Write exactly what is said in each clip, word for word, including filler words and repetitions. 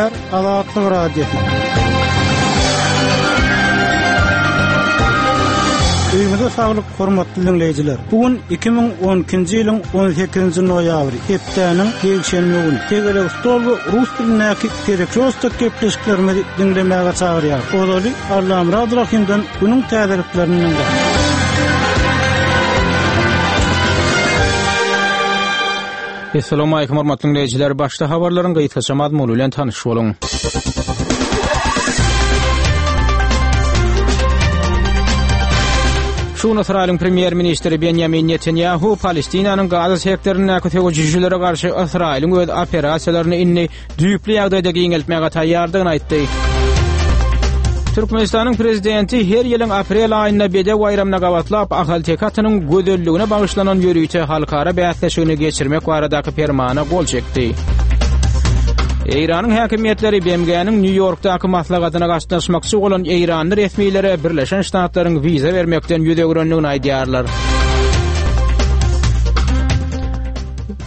Gepleýär Azatlyk Radiosy. Öýüňize saglyk, hormatly diňleýjiler. Bu gün iki müň on ikinji ýylyň on sekizinji noýabry, hepdäniň ýekşenbe güni. Tegelek stol we rus dilindäki Perekrostok gepleşiklerimizi diňlemäge çagyrýar. Ozaly Allamyrat Rahimden günüň täzeliklerini diňläň. Assalamu alaykum hormatly dinleýjiler. Başda habarlaryň gysgaça mazmuny bilen tanyş boluň. Şu gün Ysraýylyň premýer-ministri Benjamin Netanyahu Palestinanyň Gaza sektoryndaky söweşijilere garşy Ysraýylyň öz operasiýalaryny indi düýpli ýagdaýda giňeltmäge taýýardygyny aýtdy. Türkmenistanyň prezidenti her ýylyň aprel aýynda Bedew baýramyna gabatlap Ahalteke atynyň gözelligine bagyşlanan ýörite halkara bäsleşigini geçirmek baradaky permana gol çekdi. Eýranyň häkimiýetleri B M G-niň Nýu-Ýorkdaky maslahatyna gatnaşmakçy bolan Eýranly resmilere Birleşen Ştatlaryň wiza bermekden ýüz öwrendigini aýdýarlar.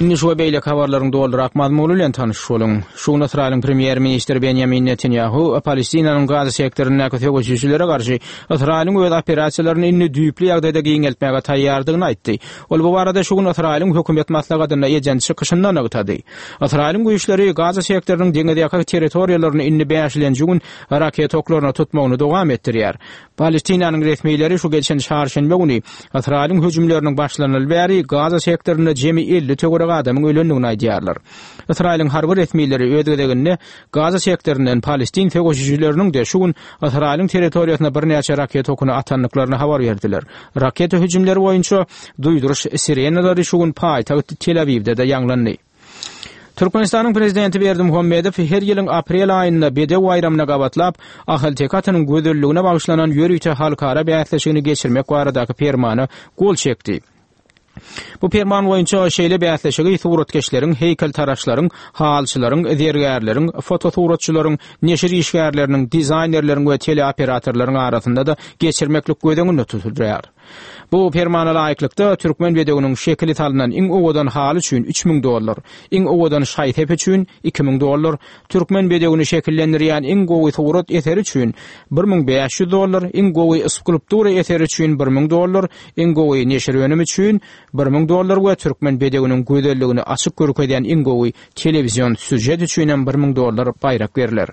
Indi şu we beýleki habarlaryň doldurak mazmuny bilen tanyş boluň. Şu gün Ysraýylyň premýer-ministri Benjamin Netanyahu Palestinanyň Gaza sektoryndaky söweşijilere garşy Ysraýylyň öz operasiýalaryny indi düýpli ýagdaýda giňeltmäge taýýardygyny aýtdy. Ol bu barada şu gün Ysraýylyň hökümet maslahatynda eden çykyşynda nygtady. Ysraýylyň güýçleri Gaza sektorynyň deňiz ýaka territoriýalaryny indi bäşinji gün raket oklaryna tutmagyny dowam etdirýär. Palestinanyň resmileri şu geçen çarşenbe güni Ysraýylyň hüjümleriniň başlanyly bäri Gaza sektorynda jemi elli töwerek adamyň ölendigini aýdýarlar. Ysraýylyň harby resmileri öz gezeginde Gaza sektoryndan Palestin söweşijileriniň de şu gün Ysraýylyň territoriýasyna birnäçe raket okuny atandyklaryny habar berdiler. Raketa hüjümleri boýunça duýduryş sirenalary şu gün paýtagt Tel Awiwde de ýaňlandy. Türkmenistanyň prezidenti Berdimuhamedow her ýylyň aprel aýynda Bedew baýramyna gabatlap Ahalteke atynyň gözelligine bagyşlanan ýörite halkara bäsleşigini geçirmek baradaky permana gol çekdi. Bu perman boýunça şeýle bäsleşigi suratkeşleriň, heýkeltaraşlaryň, halçylaryň, zergärleriň, fotosuratçylaryň, neşir işgärleriniň, dizaýnerleriň we teleoperatorlaryň arasynda da geçirmeklik göz öňünde tutulýar. Bu permana laýyklykda türkmen bedewiniň şekili salynan iň owadan haly üçin üç müň dollar, iň owadan şaý-sep üçin iki müň dollar, türkmen bedewini şekillendirýän iň gowy surat eseri üçin bir müň bäş ýüz dollar, iň gowy skulptura eseri üçin bir müň dollar, iň gowy neşir önümi üçin bir müň dollar we türkmen bedewiniň gözelligini açyk görkezýän iň gowy telewizion sýužet üçin hem bir müň dollar baýrak berler.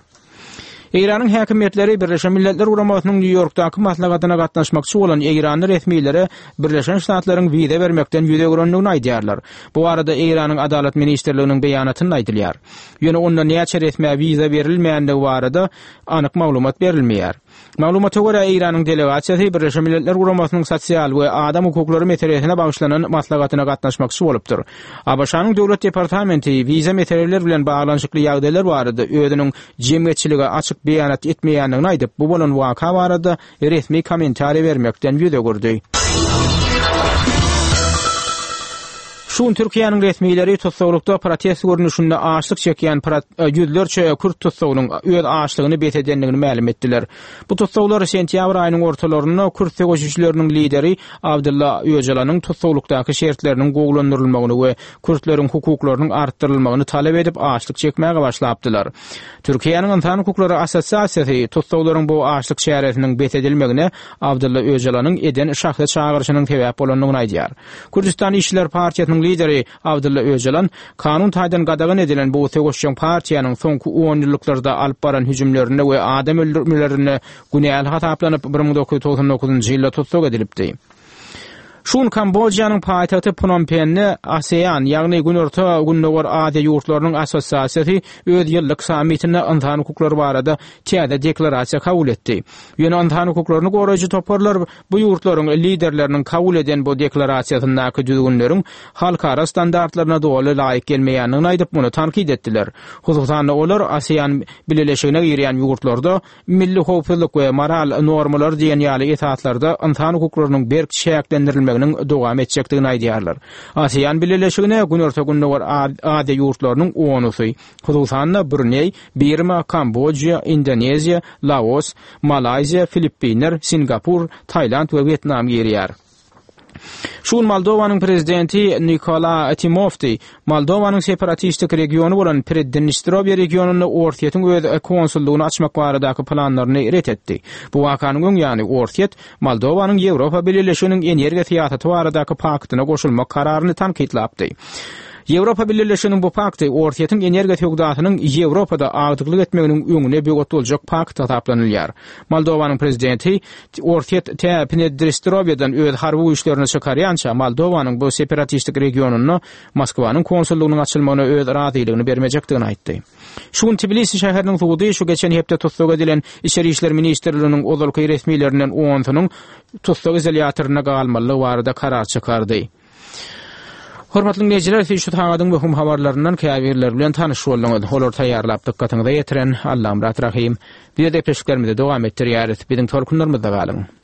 Eýranyň häkimiýetleri Birleşen Milletler Guramasynyň Nýu-Ýorkdaky maslahatyna gatnaşmakçy bolan Eýranly resmilere Birleşen Ştatlaryň wiza bermekden ýüz öwrendigini aýdýarlar. Bu arada Eýranyň Adalat Ministrliginiň beýanatynda aýdylýar. Ýöne onda näçe resmä wiza berilmändigi barada anyk maglumat berilmeýär. Maglumata görä Eýranyň delegasiýasy Birleşen Milletler Guramasynyň sosial we adam hukuklary meselesine bagyşlanan maslahatyna gatnaşmakçy bolupdyr. A B Ş-nyň Döwlet Departamenti wiza meseleleri bilen baglanyşykly ýagdaýlar barada özüniň jemgyýetçilige açyk beýanat etmeýändigini aýdyp, bu bolan waka barada resmi kommentariý bermekden ýüz öwürdi. Şu gün Türkiýäniň resmileri tussaglykda protest görnüşinde açlyk çekýän prot-, ýüzlerçe kürt tussagynyň öz açlygyny bes edendigini mälim etdiler. Bu tussaglar sentýabr aýynyň ortalarynda kürt söweşijileriniň lideri Abdullah Öcalanyň tussaglykdaky şertleriniň gowulandyrylmagyny we kürtleriň hukuklarynyň artdyrylmagyny talap edip açlyk çekmäge başlapdylar. Türkiýäniň Ynsan Hukuklary Assosiasiýasy tussaglaryň bu açlyk çäresiniň bes edilmegine Abdullah Öcalanyň eden şahsy çagyryşynyň sebäp bolandygyny aýdýar. Kürdistan Işçiler Partiýasynyň lideri Abdullah Öcalan kanun taýdan gadagan edilen bu söweşjeň partiýanyň soňky on ýyllyklarda alyp baran hüjümlerinde we adam öldürmelerinde günäli hasaplanyp bir müň dokuz ýüz togsan dokuzynjy ýylda tussag edilipdi. Şu gün Kambodjanyň paýtagty Phnom Penhde ASEAN, ýagny Günorta Gündogar Aziýa ýurtlarynyň assosiasiýasy öz ýyllyk sammitinde ynsan hukuklary barada täze deklarasiýa kabul etdi. Ýöne ynsan hukuklaryny goraýjy toparlar bu ýurtlaryň liderleriniň kabul eden bu deklarasiýasyndaky düzgünleriň halkara standartlaryna doly laýyk gelmeýändigini aýdyp, muny tankyt etdiler. Hususan-da olar ASEAN bileleşigine girýän ýurtlarda milli howpsuzlyk we moral normalary diýen ýaly esaslarda ynsan hukuklarynyň berk çäklendirilmeginiň dowam etjekdigini aýdýarlar. ASEAN bileleşigine Günorta Gündogar Aziýa ýurtlarynyň onusy, hususan-da Brunei, Birma, Kambodža, Indoneziýa, Laos, Malaýziýa, Filippinler, Singapur, Tailand we Wýetnam girýär. Şu gün Moldowanyň prezidenti Nikola Timofti Moldowanyň separatistik regiony bolan Preddnistrowýe regionynda Orsýetiň öz konsullygyny açmak baradaky planlaryny ret etdi. Bu wakanyň öň ýany Orsýet Moldowanyň Ýewropa Bileleşiginiň energiýa syýasaty baradaky paktyna goşulmak kararyny tankytlapdy. Ýewropa Bileleşiginiň bu pakty Orsýetiň energiýa söwdasynyň Ýewropada agdyklyk etmeginiň öňüne böwet boljak pakt hasaplanylýar. Moldowanyň prezidenti Orsýet tä Pneddnistrowýeden öz harby güýçlerini çykarýança Moldowanyň bu separatistik regionynda Moskwanyň konsullygynyň açylmagyna öz razylygyny bermejekdigini aýtdy. Şu gün Tbilisi şäheriniň sudy şu geçen hepde tussag edilen Içeri işler ministrliginiň ozalky resmilerinden onsunyň tussag izolýatorynda galmalydygy barada karar çykardy. Hormatly dinleýjiler, siz şu sagadyň möhüm habarlaryndan käbirleri bilen tanyş bolduňyz. Olar taýýarlap dykgatyňyza ýetiren Allamyrat Rahym. Biz gepleşiklerimizi dowam etdirýäris. Biziň tolkunlarymyzda galyň.